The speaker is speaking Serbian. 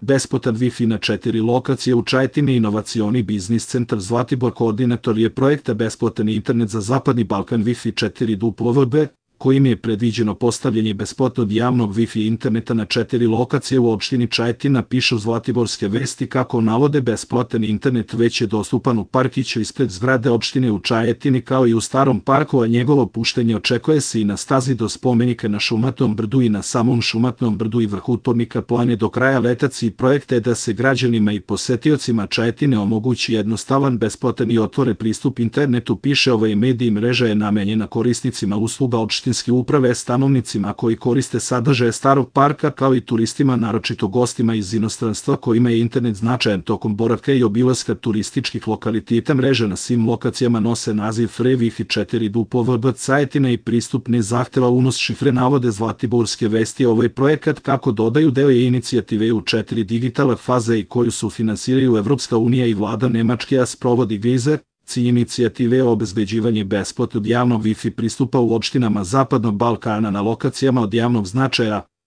Besplatan Wi-Fi na 4 lokacije u Čajetini. Inovacioni biznis centar Zlatibor koordinator je projekta Besplatan internet za Zapadni Balkan Wi-Fi 4WB, kojim je predviđeno postavljanje besplatnog javnog Wi-Fi interneta na 4 lokacije u opštini Čajetina, pišu Zlatiborske vesti. Kako navode, besplatan internet već je dostupan u parkiću ispred zgrade opštine u Čajetini kao i u Starom parku, a njegovo puštenje očekuje se i na stazi do spomenika na Šumatnom brdu i na samom Šumatnom brdu i vrhu Tornika Plane do kraja leta. Cilj projekta je da se građanima i posetiocima Čajetine omogući jednostavan, besplatan i otvoren pristup internetu, piše ovaj medij. Mreža je namenjena korisnicima usluga opštine uprave, stanovnicima koji koriste sadržaje Starog parka, kao i turistima, naročito gostima iz inostranstva kojima je internet značajan tokom boravka i obilaska turističkih lokaliteta. Mreža na svim lokacijama nose naziv Free Wi-Fi 4WB Čajetina i pristup ne zahteva unos šifre, navode Zlatiborske vesti. Ovaj projekat, kako dodaju, deo je inicijative u 4 digitalne faze i koju sufinansiraju Evropska unija i vlada Nemačke, a sprovodi GIZE. Cilj inicijative je obezbeđivanje besplatnog javnog Wi-Fi pristupa u opštinama Zapadnog Balkana na lokacijama od javnog značaja,